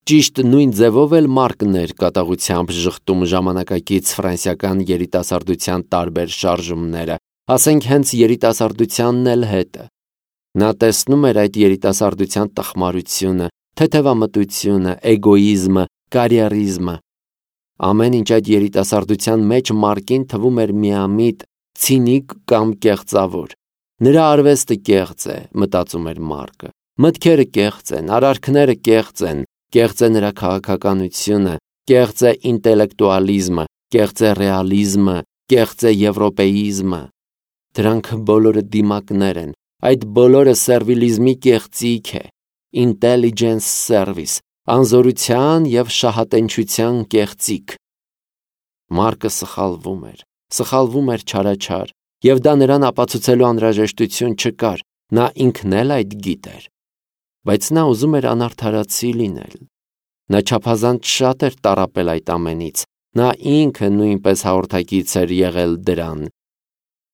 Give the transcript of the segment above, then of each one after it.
Ճիշտ նույն ձևով էլ Մարկն էր կատաղությամբ ժխտում ժամանակակից ֆրանսիական երիտասարդության տարբեր շարժումները, ասենք հենց երիտասարդությանն էլ հետը։ Նա տեսնում էր այդ երիտասարդության տխմարությունը, թեթևամտությունը, էգոիզմը, կարիերիզմը։ Ամեն ինչ այդ երիտասարդության մեջ Մարկին թվում էր միամիտ, ցինիկ կամ կեղծավոր։ Նրա արվեստը կեղծ է, մտածում էր Մարկը։ Մտքերը կեղծ են, արարքները կեղծ են, կեղծ է նրա քաղաքականությունը, կեղծ է ինտելեկտուալիզմը, կեղծ է ռեալիզմը, կեղծ է եվրոպեիզմը։ Դրանք բոլորը դիմակներ են, այդ բոլորը սերվիլիզմի կեղծիք է, intelligence service, անզորության և շահատենչության կեղծիք։ Մարկը սխալվում էր չարաչար, և դա նրան ապացուցելու անհրաժեշտություն չկար, նա ինքն էլ այդ գիտեր։ Բայց նա ուզում էր անարդարացի լինել։ Նա չափազանց շատ էր տառապել այդ ամենից, նա ինքը նույնպես հաղորդակից էր եղել դրան։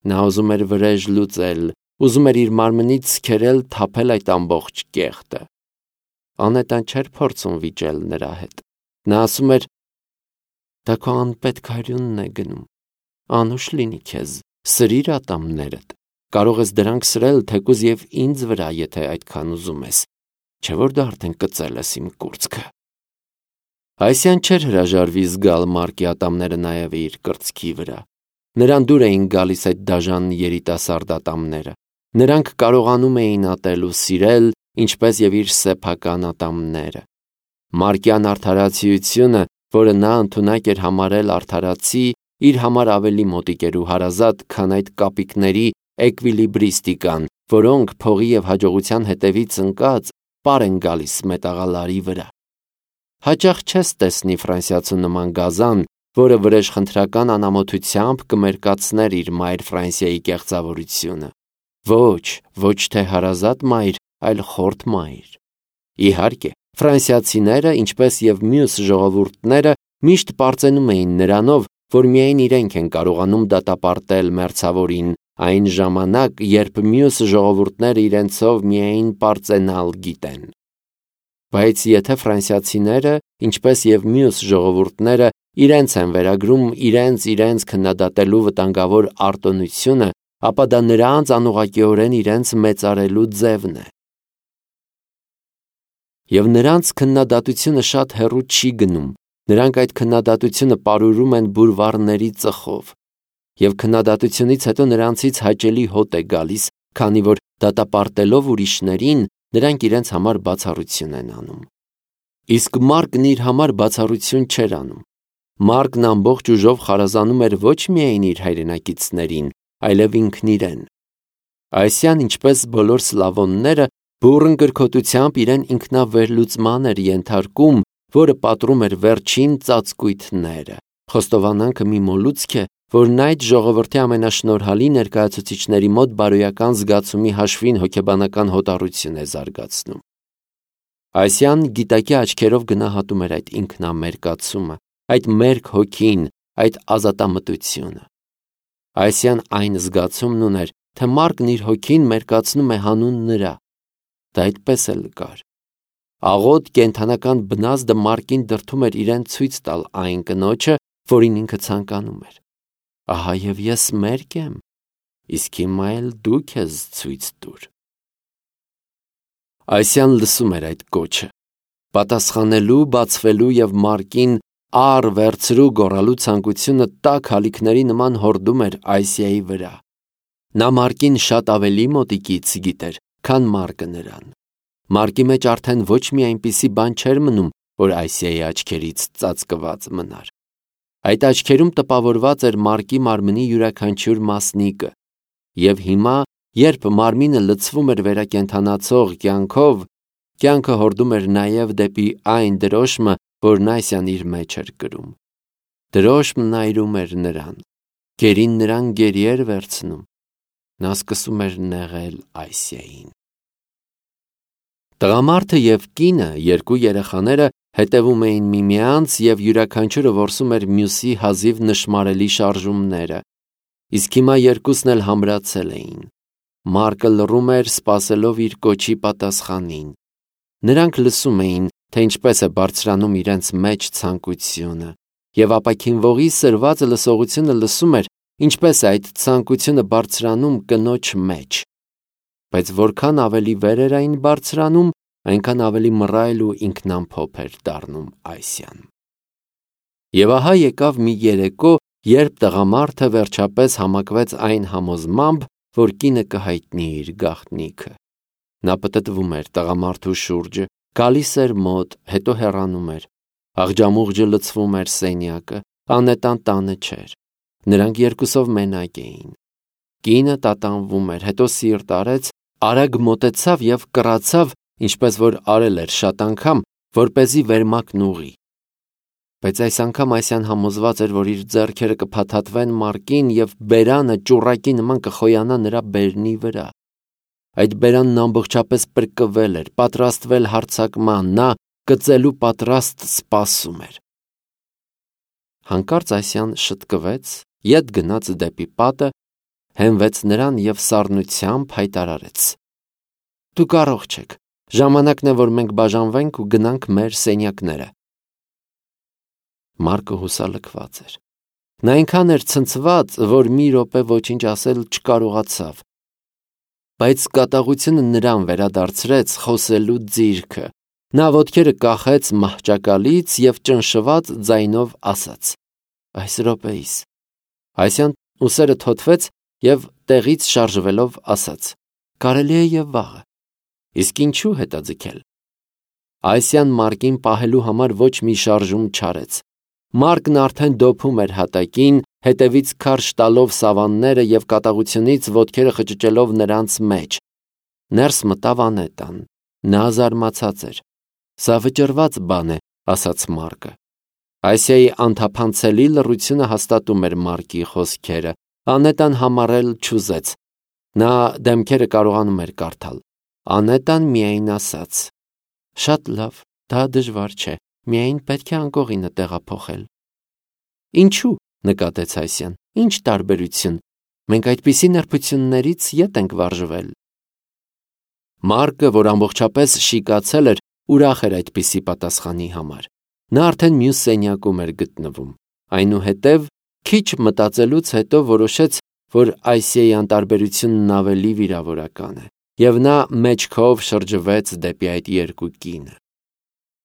Նա ուզում էր վրեժ լուծել, ուզում էր իր մարմնից քերել թափել այդ ամբողջ կեղտը։ Անետան չէր փորձում վիճել նրա հետ։ Նա ասում էր. «Դա քո անպետք հարյունն է գնում, անուշ լինի քեզ, սրիր ատամներդ, կարող ես դրանք սրել թեկուզ և ինձ վրա, եթե այդքան ուզում ես, չէ որ դու արդեն կծել ես իմ կուրծքը»։ Այսյան չէր հրաժարվի զգալ Մարկի ատամները նաև իր կրծքի վրա։ Նրան դուր էին գալիս այդ դաժան երիտասարդ ատամները։ Նրանք կարողանում էին ատել ու սիրել, ինչպես և իր սեփական ատամները։ Մարկյան արդարացիությունը, որը նա ընդունակ էր համարել արդարացի, իր համար ավելի մոտիկ էր ու հարազատ, քան այդ կապիկների էկվիլիբրիստիկան, որոնք փողի և հաջողության հետևից ընկած պար են գալիս մետաղալարի վրա։ Հաճախ չես տեսնի ֆրանսիացու նման գազան, որը վրեժխնդրական անամոթությամբ կմերկացներ իր մայր Ֆրանսիայի կեղծավորությունը։ Ոչ թե հարազատ մայր, այլ խորթ մայր։ Իհարկե, ֆրանսիացիները, ինչպես և մյուս ժողովուրդները, միշտ պարծենում էին նրանով, որ միայն իրենք են կարողանում դատապարտել մերձավորին, այն ժամանակ, երբ մյուս ժողովուրդները իրենցով միայն պարծենալ գիտեն։ Բայց եթե ֆրանսիացիները, ինչպես և մյուս ժողովուրդները, իրենց են վերագրում իրենց քննադատելու վտանգավոր արտոնությունը, ապա դա նրանց անուղղակիորեն իրենց մեծարելու ձևն է։ Եվ նրանց քննադատությունը շատ հեռու չի գնում, նրանք այդ քննադատությունը պարուրում են բուլվարների ծխով։ Եվ քննադատությունից հետո նրանցից հաճելի հոտ է գալիս, քանի որ դատապարտելով ուրիշներին, նրանք իրենց համար բացառություն են անում։ Իսկ Մարկն իր համար բացառություն չէր անում։ Մարկն ամբողջ ուժով խարազանում էր ոչ միայն իր հայրենակիցներին, այլև ինքն իրեն։ Այսյան, ինչպես բոլոր սլավոնները, բուռն կրքոտությամբ իրեն ինքնավերլուծման էր ենթարկում, որը պատռում էր վերջին ծածկույթները։ Խոստովանանքը մի մոլուցք է, որն այդ ժողովրդի ամենաշնորհալի ներկայացուցիչների մոտ բարոյական զգացումի հաշվին հոգեբանական հոտառություն է զարգացնում։ Այսյան գիտակի աչքերով գնահատում էր այդ ինքնամերկացումը, այդ մերկ հոգին, այդ ազատամտությունը։ Այսյան այն զգացումն ուներ, թե Մարկն իր հոգին մերկացնում է հանուն նրա։ Դա այդպես էլ կար։ Աղոտ կենդանական բնազդը Մարկին դրդում էր իրեն ցույց տալ այն կնոջը, որին ինքը ցանկանում էր։ Ահա և ես մերկ եմ, իսկ հիմա էլ դու քեզ ցույց տուր։ Այսյան լսում էր այդ կոչը, պատասխանելու, բացվելու և Մարկին առ վերցրու գոռալու ցանկությունը տաք հալիքների նման հորդում էր Այսիայի վրա։ Նա Մարկին շատ ավելի մոտիկից գիտեր, քան Մարկը նրան։ Մարկի մեջ արդեն ոչ մի այնպիսի բան չէր մնում, որ Այսիայի աչքերից ծածկված մնար։ Այդ աչքերում տպավորված էր Մարկի մարմնի յուրաքանչյուր մասնիկը, և հիմա, երբ մարմինը լցվում էր վերակենդանացող կյանքով, կյանքը հորդում էր նաև դեպի այն դրոշմը, որն Այսիան իր մեջ էր կրում։ Դրոշմն այրում էր նրան, գերին նրան գերի էր վերցնում։ Նա սկսում էր նեղել Այսիային։ Տղամարդը և կինը, երկու երեխաները, հետևում էին միմյանց և յուրաքանչյուրը որսում էր մյուսի հազիվ նշմարելի շարժումները, իսկ հիմա երկուսն էլ համրացել էին։ Մարկը լռում էր, սպասելով իր կոչի պատասխանին։ Նրանք լսում էին, թե ինչպես է բարձրանում իրենց մեջ ցանկությունը, եւ ապաքինվողի սրված լսողությունը լսում էր, ինչպես է այդ ցանկությունը բարձրանում կնոջ մեջ։ Բայց որքան ավելի վեր էր այն բարձրանում, այնքան ավելի մռայլ ու ինքնամփոփ էր դառնում Այսյան։ Եվ ահա եկավ մի երեկո, երբ տղամարդը վերջապես համակվեց այն համոզմամբ, որ կինը կհայտնի իր գաղտնիքը։ Նա պտտվում էր տղամարդու շուրջը, գալիս էր մոտ, հետո հեռանում էր։ Աղջամուղջը լցվում էր սենյակը, Անետան տանը չէր։ Նրանք երկուսով մենակ էին։ Կինը տատանվում էր, հետո սիրտ արեց, արագ մոտեցավ եւ կռացավ, ինչպես որ արել էր շատ անգամ, որպեսզի վերմակն ուղի։ Բայց այս անգամ Այսյան համոզված էր, որ իր ձեռքերը կփաթաթվեն Մարկին եւ բերանը ճուռակի նման կխոյանա նրա բերնի վրա։ Այդ բերանն ամբողջապես պրկվել էր, պատրաստվել հարձակման, նա կծելու պատրաստ սպասում էր։ Հանկարծ Այսյան շտկվեց, ետ գնաց դեպի պատը, հենվեց նրան եւ սառնությամբ հայտարարեց. «Դուք կարող չեք, ժամանակն է, որ մենք բաժանվենք ու գնանք մեր սենյակները»։ Մարկը հուսալքված էր։ Նա այնքան էր ցնցված, որ մի րոպե ոչինչ ասել չկարողացավ։ Բայց կատաղությունը նրան վերադարձրեց խոսելու ձիրքը։ Նա ոտքերը կախեց մահճակալից եւ ճնշված ձայնով ասաց. «Այս րոպեիս»։ Այսյան ուսերը թոթվեց եւ տեղից շարժվելով ասաց. «Կարելի է եւ վաղը»։ Իսկ ինչու հետաձգել։ Այսյան Մարկին պահելու համար ոչ մի շարժում չարեց։ Մարկն արդեն դոփում էր հատակին, հետևից քարշ տալով սավանները եւ կատաղությունից ոտքերը խճճելով նրանց մեջ։ Ներս մտավ Անետան։ Նա զարմացած էր։ «Սա վճռված բան է», ասաց Մարկը։ Այսիայի անթափանցելի լռությունը հաստատում էր Մարկի խոսքերը։ Անետան համառել չուզեց։ Նա դեմքերը կարողանում էր կարդալ։ Անետան միայն ասաց. «Շատ լավ, դա դժվար չէ, միայն պետք է անկողինը տեղափոխել»։ «Ինչու՞», նկատեց Այսյան, «ինչ տարբերություն։ Մենք այդպիսի նրբություններից ետ ենք վարժվել»։ Մարկը, որ ամբողջապես շիկացել էր, ուրախ էր այդպիսի պատասխանի համար։ Նա արդեն մյուս սենյակում էր գտնվում։ Այնուհետև, քիչ մտածելուց հետո որոշեց, որ Այսիայի անտարբերությունն ավելի վիրավորական է, եւ նա մեջքով շրջվեց դեպի այդ երկու կինը։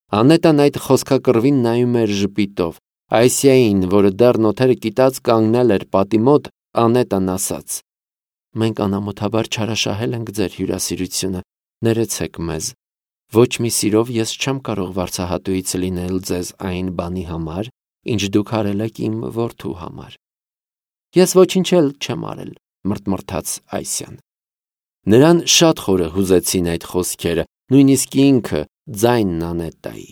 Անետան այդ խոսքակռվին նայում էր ժպիտով։ Այսիային, որը դեռ նոթերը կիտած կանգնել էր պատի մոտ, Անետան ասաց. «Մենք անամոթաբար չարաշահել ենք ձեր հյուրասիրությունը, ներեցեք մեզ։ Ոչ մի սիրով ես չեմ կարող վարձահատույց լինել ձեզ այն բանի համար, ինչ դուք արել եք իմ որդու համար»։ «Ես ոչինչ էլ չեմ արել», մրթմրթաց Այսյան։ Նրան շատ խորը հուզեցին այդ խոսքերը, նույնիսկ ինքը ձայնն Անետայի։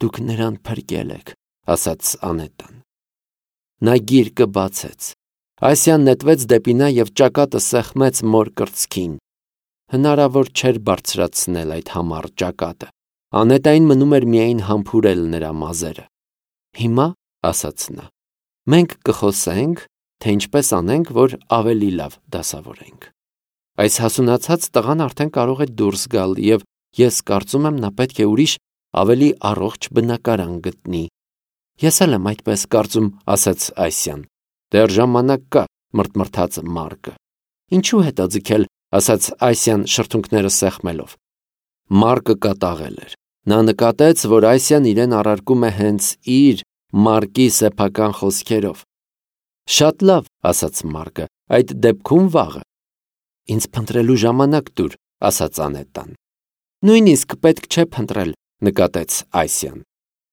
«Դուք նրան փրկել եք», ասաց Անետան։ Նա գիրկը բացեց։ Այսյան նետվեց դեպի նա եւ ճակատը սեղմեց մոր կրծքին։ Հնարավոր չէր բարձրացնել այդ համառ ճակատը։ Անետային մնում էր միայն համբուրել նրա մազերը։ «Հիմա», ասաց նա, «մենք կխոսենք, թե ինչպես անենք, որ ավելի լավ դասավորենք»։ Այս հասունացած տղան արդեն կարող է դուրս գալ եւ ես կարծում եմ նա պետք է ուրիշ ավելի առողջ բնակարան գտնի։ Ես էլ եմ այդպես կարծում, ասաց Այսյան։ Դեռ ժամանակ կա, մրթմրթաց Մարկը։ Ինչու հետաձգել, ասաց Այսյան շրթունքները սեղմելով։ Մարկը կատաղել էր։ Նա նկատեց, որ Այսյան իրեն առարկում է հենց իր Մարկի սեփական խոսքերով։ Շատ լավ, ասաց Մարկը, այդ դեպքում վաղը։ Ինձ փնտրելու ժամանակ տուր, ասաց Անետան։ Նույնիսկ պետք չէ փնտրել, նկատեց Այսյան։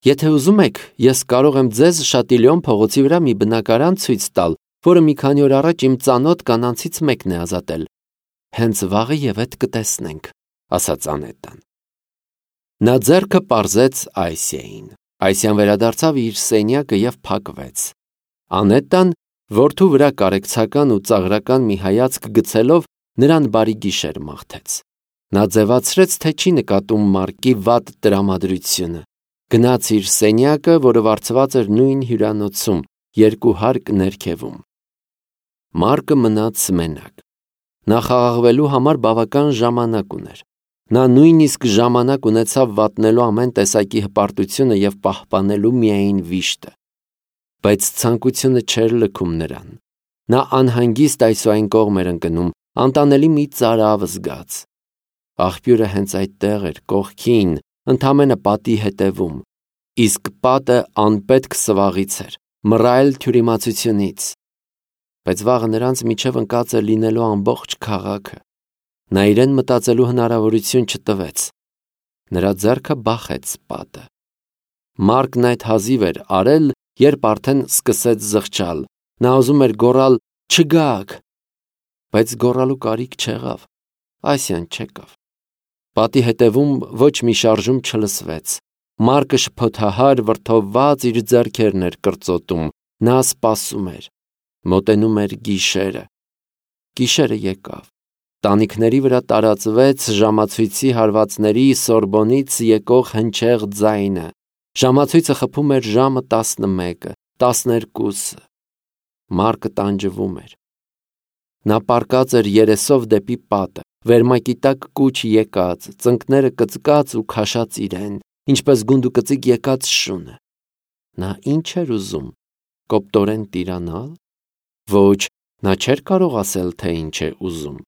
Եթե ուզում եք, ես կարող եմ ձեզ Շատիլյոն փողոցի վրա մի բնակարան ցույց տալ, որը մի քանի օր առաջ իմ ծանոթ կանանցից մեկն է ազատել։ Հենց վաղը եւ այդ կտեսնենք, ասաց Անետան։ Նա ձեռքը պարզեց Այսիային։ Այսյան վերադարձավ իր սենյակը եւ փակվեց։ Անետան, որդու վրա կարեկցական ու ծաղրական մի հայացք գցելով, նրան բարի գիշեր մաղթեց։ Նա ձևացրեց, թե չի նկատում Մարկի վատ տրամադրությունը։ Գնաց իր սենյակը, որը վարձված էր նույն հյուրանոցում, երկու հարկ ներքևում։ Մարկը մնաց մենակ։ Նա խաղաղվելու համար բավական ժամանակ ուներ։ Նա նույնիսկ ժամանակ ունեցավ վատնելու ամեն տեսակի հպարտությունը և պահպանելու միայն վիշտը։ Բայց ցանկությունը չէր լքում նրան։ Նա անհանգիստ այսուայն կողմ էր ընկնում, անտանելի մի ծարավ զգաց։ Աղբյուրը հենց այդտեղ էր, կողքին, ընդամենը պատի հետևում, իսկ պատը անպետք սվաղից էր, մռայլ թյուրիմացությունից։ Բայց վաղը նրանց միջև ընկած էր լինելու ամբողջ քաղաքը։ Նա իրեն մտածելու հնարավորություն չտվեց։ Նրա ձեռքը բախեց պատը։ Մարկն այդ հազիվ էր արել, երբ արդեն սկսեց զղջալ։ Նա ուզում էր գոռալ «Չգաք», բայց գոռալու կարիք չեղավ։ Ասիան չեկավ։ Պատի հետևում ոչ մի շարժում չլսվեց։ Մարկը շփոթահար, վրդովված իր ձեռքերն էր կրծոտում։ Նա սպասում էր։ Մոտենում էր գիշերը։ Գիշերը եկավ։ Տանիքների վրա տարածվեց ժամացույցի հարվածների Սորբոնից եկող հնչեղ ձայնը։ Ժամացույցը խփում էր ժամը 11-ը, 12-ը։ Մարկը տանջվում էր։ Նա պառկած էր երեսով դեպի պատը, վերմակի տակ կուչ եկած, ծնկները կծկած ու քաշած իրեն, ինչպես գունդուկծիկ եկած շունը։ Նա ինչ էր ուզում, կոպտորեն տիրանալ։ Ոչ, նա չէր կարող ասել, թե ինչ է ուզում։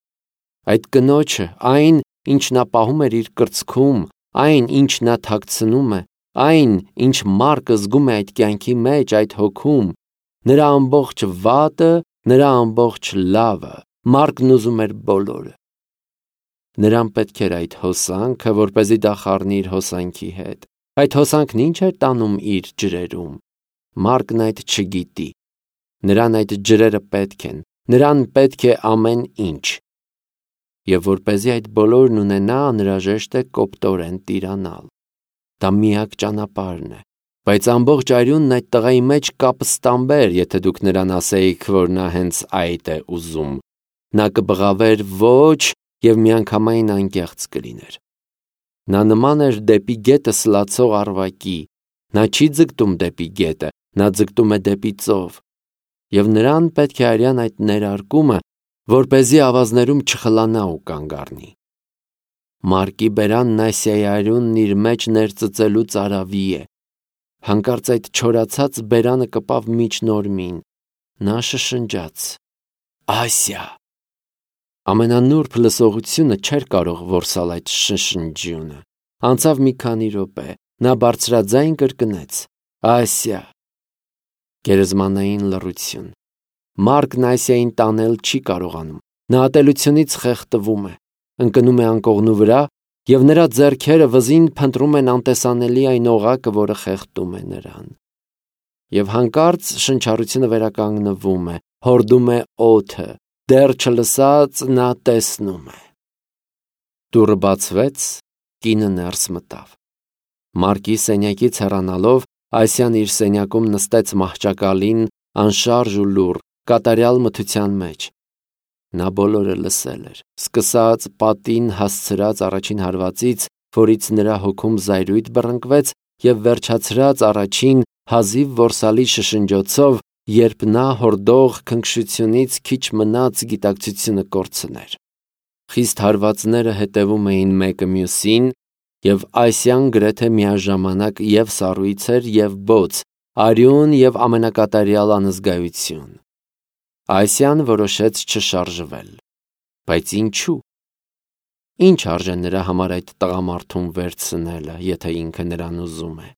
Այդ կնոջը, այն, ինչ նա պահում էր իր կրծքում, այն, ինչ նա թաքցնում է, այն, ինչ Մարկը զգում է այդ կյանքի մեջ, այդ հոգում, նրա ամբողջ վատը, նրա ամբողջ լավը, Մարկն ուզում էր բոլորը։ Նրան պետք էր այդ հոսանքը, որպեսզի դա խառնի իր հոսանքի հետ։ Այդ հոսանքն ինչ էր տանում իր ջրերում։ Մարկն այդ չգիտի։ Նրան այդ ջրերը պետք են, նրան պետք է ամեն ինչ։ Եվ որպեսզի այդ բոլորն ունենա, անհրաժեշտ է կոպտորեն տիրանալ։ Դա միակ ճանապարհն է։ Բայց ամբողջ արյունն այդ տղայի մեջ կապստամբեր, եթե դուք նրան ասեիք, որ նա հենց այդ է ուզում։ Նա կբղավեր ոչ և միանգամայն անկեղծ կլիներ։ Նա նման էր դեպի գետը սլացող առվակի։ Նա չի ձգտում դեպի գետը, նա ձգտում է դեպի ծով։ Եվ նրան պետք է արյան այդ ներարկումը, որպեսզի ավազներում չխլանա ու կանգ առնի։ Մարկի բերանն Ասիայի արյունն իր մեջ ներծծելու ծարավի է։ Հանկարծ այդ չորացած բերանը կպավ միջնորմին։ Նա շշնջաց. «Ասիա»։ Ամենանուրբ լսողությունը չէր կարող որսալ այդ շշնջյունը։ Անցավ մի քանի րոպե, նա բարձրաձայն կրկնեց. «Ասիա»։ Գերեզմանային լռություն։ Մարկն Ասիային տանել չի կարողանում։ Նա ատելությունից խեղդվում է, ընկնում է անկողնու վրա, և նրա ձեռքերը վզին փնտրում են անտեսանելի այն օղակը, որը խեղդում է նրան։ Եվ հանկարծ շնչառությունը վերականգնվում է, հորդում է օդը, դեռ չլսած նա տեսնում է։ Դուռը բացվեց, կինը ներս մտավ։ Մարկի սենյակից հեռանալով, Ասիան իր սենյակում նստեց մահճակալին, անշարժ ու լուռ, կատարյալ մթության մեջ։ Նա բոլորը լսել էր, սկսած պատին հասցրած առաջին հարվածից, որից նրա հոգում զայրույթ բռնկվեց, և վերջացրած առաջին հազիվ որսալի շշնջոցով, երբ նա հորդող քնքշությունից քիչ մնաց գիտակցությունը կորցներ։ Խիստ հարվածները հետևում էին մեկը մյուսին, և Ասիան գրեթե միաժամանակ և սառույց էր, և բոց, արյուն և ամենակատարյալ անզգայություն։ Ասիան որոշեց չշարժվել։ Բայց ինչու՞։ Ինչ արժե նրա համար այդ տղամարդուն վերցնելը, եթե ինքը նրան ուզում է։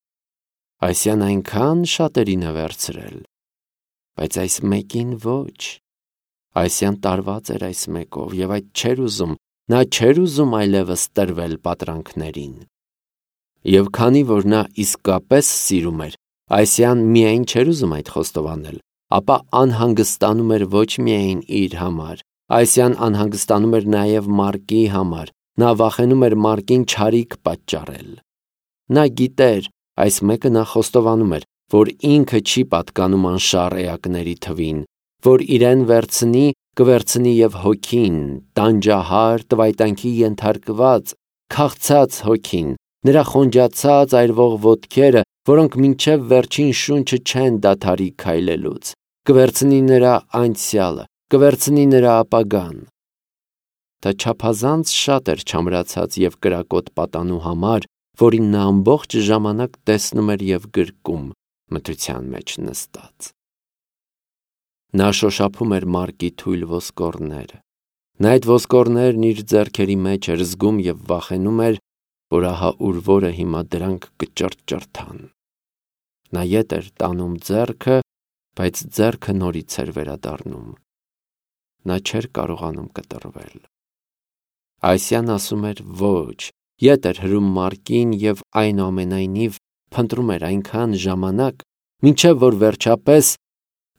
Ասիան այնքան շատերին է վերցրել։ Բայց այս մեկին ոչ։ Ասիան տարված էր այս մեկով, և այդ չէր ուզում, նա չէր ուզում այլևս տրվել պատրանքներին։ Եվ քանի որ նա իսկապես սիրում էր, Ասիան միայն չէր ուզում այդ խոստովանել, ապա անհանգստանում էր ոչ միայն իր համար, Ասիան անհանգստանում էր նաև Մարկի համար, նա վախենում էր Մարկին չարիք պատճառել։ Նա գիտեր, այս մեկը նա խոստովանում էր, որ ինքը չի պատկանում անշառ էակների թվին, որ իրեն վերցնի, կվերցնի և հոգին, տանջահար, տվայտանքի ենթարկված, քաղցած հոգին, նրա խոնջացած այրվող ոտքերը, որոնք մինչև վերջին շունչը չեն դադարի քայլելուց, կվերցնի նրա անցյալը, կվերցնի նրա ապագան։ թե չափազանց շատ էր չամրացած և կրակոտ պատանու համար, որին նա ամբողջ ժամանակ տեսնում էր և գրկում մթության մեջ նստած։ Նա շոշափում էր Մարկի թույլ ոսկորները։ Նա այդ ոսկորներն իր ձեռքերի մեջ էր զգում և վախենում էր, որ ահա ուր որը հիմա դրանք կճրճրթան։ Նա ետ էր տանում ձեռքը, բայց ձեռքը նորից էր վերադառնում։ Նա չէր կարողանում կտրվել։ Այսյան ասում էր ոչ, ետ էր հրում Մարկին և այնուամենայնիվ փնտրում էր այնքան ժամանակ, մինչև որ վերջապես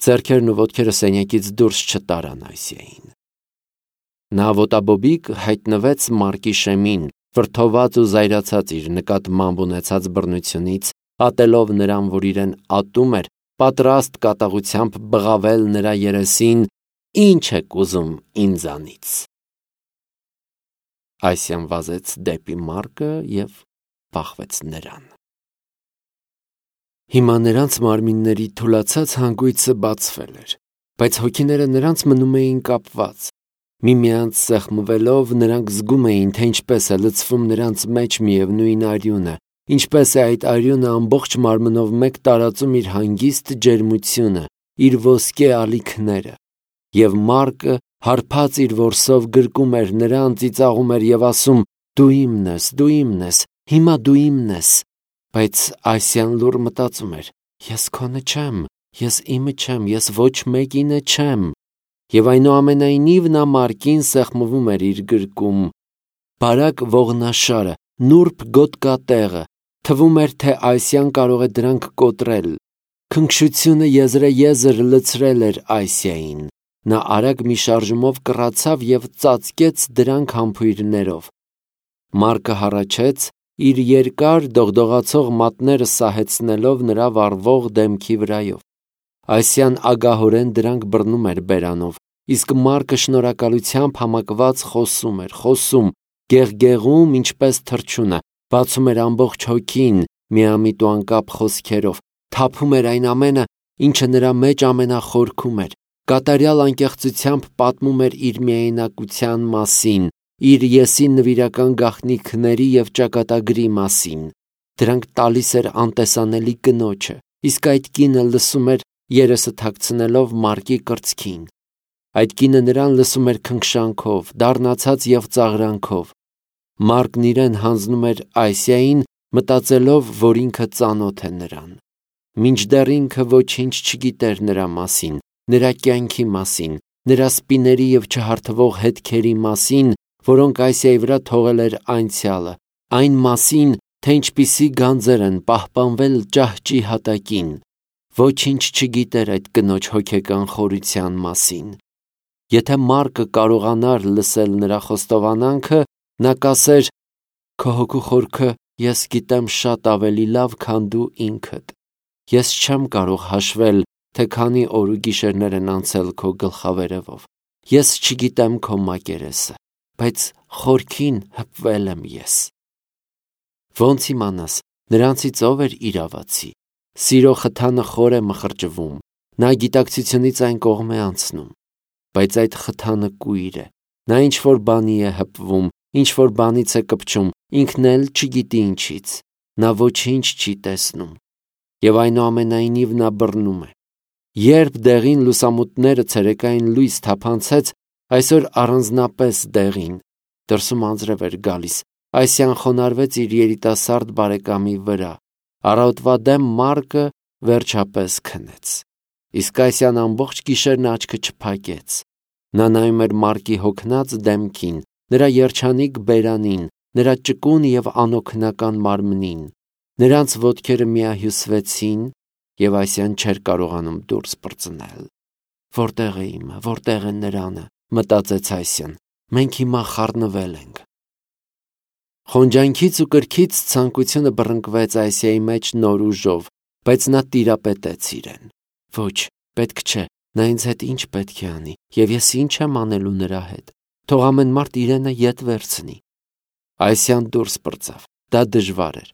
ձեռքերն ու ոտքերը սենյակից դուրս չտարան Այսիային։ Նա ոտաբոբիկ հայտնվեց Մարկի շեմին, վրդոված ու զայրացած իր նկատմամբ ունեցած բռնությունից, ատելով նրան, որ իրեն ատում էր, պատրաստ կատաղությամբ բղավել նրա երեսին. «Ինչ եք ուզում ինձանից»։ Այսյան վազեց դեպի Մարկը և բախվեց նրան։ Հիմա նրանց մարմինների թուլացած հանգույցը բացվել էր, բայց հոգիները նրանց մնում էին կապված։ Միմյանց սեղմվելով նրանք զգում էին, թե ինչպես է լցվում նրանց մեջ միևնույն արյունը, ինչպես է այդ արյունը ամբողջ մարմնով մեկ տարածում իր հանգիստ ջերմությունը, իր ոսկե ալիքները։ Եվ Մարկը հարբած իր որսով գրկում էր նրան, ծիծաղում էր և ասում. «Դու իմն ես, դու իմն ես, հիմա դու իմն ես»։ Բայց Այսյան լուռ մտածում էր. «Ես քոնը չեմ, ես իմը չեմ, ես ոչ մեկինը չեմ»։ Եվ այնուամենայնիվ նա Մարկին սեղմվում էր իր գրկում։ Բարակ ողնաշարը, նուրբ գոտկատեղը, թվում էր, թե Այսյան կարող է դրանք կոտրել։ Քնքշությունը եզրեեզր լցրել էր Այսիային։ Նա արագ մի շարժումով կռացավ և ծածկեց դրանք համբույրներով։ Մարկը հառաչեց, իր երկար դողդողացող մատները սահեցնելով նրա վառվող դեմքի վրայով։ Այսյան ագահորեն դրանք բռնում էր բերանով, իսկ Մարկը շնորհակալությամբ համակված խոսում, գեղգեղում, ինչպես թռչունը, բացում էր ամբողջ հոգին միամիտ ու անկապ խոսքերով, թափում էր այն ամենը, ինչը նրա մեջ ամենախորքում էր, կատարյալ անկեղծությամբ պատմում էր իր միայնակության մասին, իր եսի նվիրական գաղտնիքների և ճակատագրի մասին։ Դրանք տալիս էր անտեսանելի կնոջը, իսկ այդ կինը լսում էր, երեսը թաքցնելով Մարկի կրծքին։ Այդ կինը նրան լսում էր քնքշանքով, դառնացած և ծաղրանքով։ Մարկն իրեն հանձնում էր Այսիային, մտածելով, որ ինքը ծանոթ է նրան։ Մինչդեռ ինքը ոչինչ չգիտեր նրա մասին, նրա կյանքի մասին, նրա սպիների և չհարթվող հետքերի մասին, որոնք Այսիայի վրա թողել էր անցյալը, այն մասին, թե ինչպիսի գանձեր են պահպանվել ճահճի հատակին։ Ոչինչ չգիտեր այդ կնոջ հոգեկան խորության մասին։ Եթե Մարկը կարողանար լսել նրա խոստովանանքը, նա կասեր. «Քո հոգու խորքը ես գիտեմ շատ ավելի լավ, քան դու ինքդ։ Ես չեմ կարող հաշվել, թե քանի օր ու գիշերներ են անցել քո գլխավերևով։ Ես չգիտեմ քո մակերեսը, բայց խորքին հպվել եմ ես»։ Ոնց իմանաս, նրանցից ով էր իրավացի։ Սիրո խթանը խոր է մխրճվում, նա գիտակցությունից այն կողմ է անցնում։ Բայց այդ խթանը կույր է, նա ինչ-որ բանի է հպվում, ինչ-որ բանից է կպչում, ինքն էլ չգիտի ինչից։ Նա ոչինչ չի տեսնում։ Եվ այնուամենայնիվ նա բռնում է։ Երբ դեղին լուսամուտները ցերեկային լույս թափանցեց, այսօր առանձնապես դեղին, դրսում անձրև էր գալիս, Այսյան խոնարհվեց իր երիտասարդ բարեկամի վրա։ Առավոտվա դեմ Մարկը վերջապես քնեց։ Իսկ Այսյան ամբողջ գիշերն աչքը չփակեց։ Նա նայում էր Մարկի հոգնած դեմքին, նրա երջանիկ բերանին, նրա ճկուն և անօգնական մարմնին։ Նրանց ոտքերը միահյուսվեցին, և Այսյան չէր կարողանում դուրս պրծնել։ «Որտե՞ղ է իմը, որտե՞ղ է նրանը», մտածեց Այսյան։ «Մենք հիմա խառնվել ենք»։ Խոնջանքից ու կրքից ցանկությունը բռնկվեց Այսիայի մեջ նոր ուժով, բայց նա տիրապետեց իրեն։ Ոչ, պետք չէ, նա ինձ հետ ինչ պետք է անի, և ես ինչ եմ անելու նրա հետ։ Թող ամեն մարդ իրենը ետ վերցնի։ Այսյան դուրս պրծավ։ Դա դժվար էր։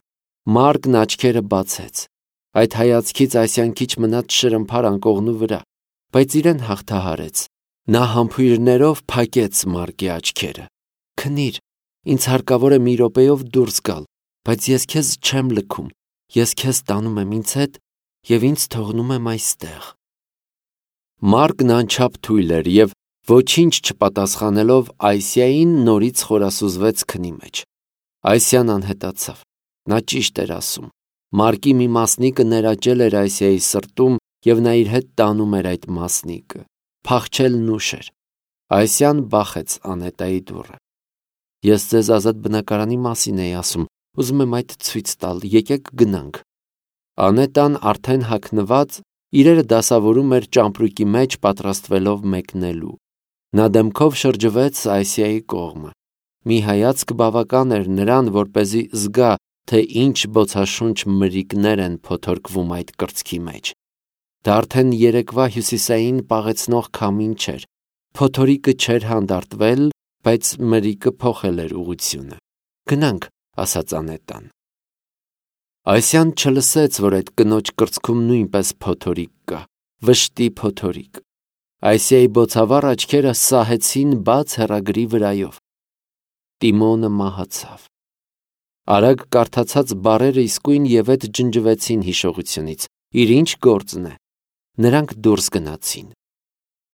Մարկն աչքերը բացեց։ Այդ հայացքից Այսյան քիչ մնաց շրմփար անկողնու վրա, բայց իրեն հաղթահարեց։ Նա համբույրներով փակեց Մարկի աչքերը։ Քնիր, ինձ հարկավոր է մի րոպեով դուրս գալ, բայց ես քեզ չեմ լքում, ես քեզ տանում եմ ինձ հետ և ինձ թողնում եմ այստեղ։ Մարկն անչափ թույլ էր և ոչինչ չպատասխանելով Այսիային նորից խորասուզվեց քնի մեջ։ Այսիան անհետացավ, նա ճիշտ էր ասում, Մարկի մի մասնիկը ներաճել էր Այսիայի սրտում և նա իր հետ տանում էր այդ մասնիկը, փախչելն ուշ էր։ Այսիան բախեց Անետայի դուռը։ Ես ձեզ ազատ բնակարանի մասին էի ասում, ուզում եմ այդ ցույց տալ, եկեք գնանք։ Անետան արդեն հագնված իրերը դասավորում էր ճամպրուկի մեջ պատրաստվելով մեկնելու։ Նա դեմքով շրջվեց Այսիայի կողմը։ Մի հայացք բավական էր նրան, որպեսզի զգա, թե ինչ բոցաշունչ մրրիկներ են փոթորկվում այդ կրծքի մեջ։ Դա արդեն երեկվա հյուսիսային պաղեցնող քամին չէր։ Փոթորիկը չէր հանդարտվել, բայց մրրիկը փոխել էր ուղղությունը։ Գնանք, ասաց Անետան։ Այսիան չլսեց, որ այդ կնոջ կրծքում նույնպես փոթորիկ կա, վշտի փոթորիկ։ Այսիայի բոցավառ աչքերը սահեցին բաց հեռագրի վրայով։ Տիմոնը մահացավ։ Արագ կարդացած բառերը իսկույն ևեթ ջնջվեցին հիշողությունից։ Իր ինչ գործն է։ Նրանք դուրս գնացին։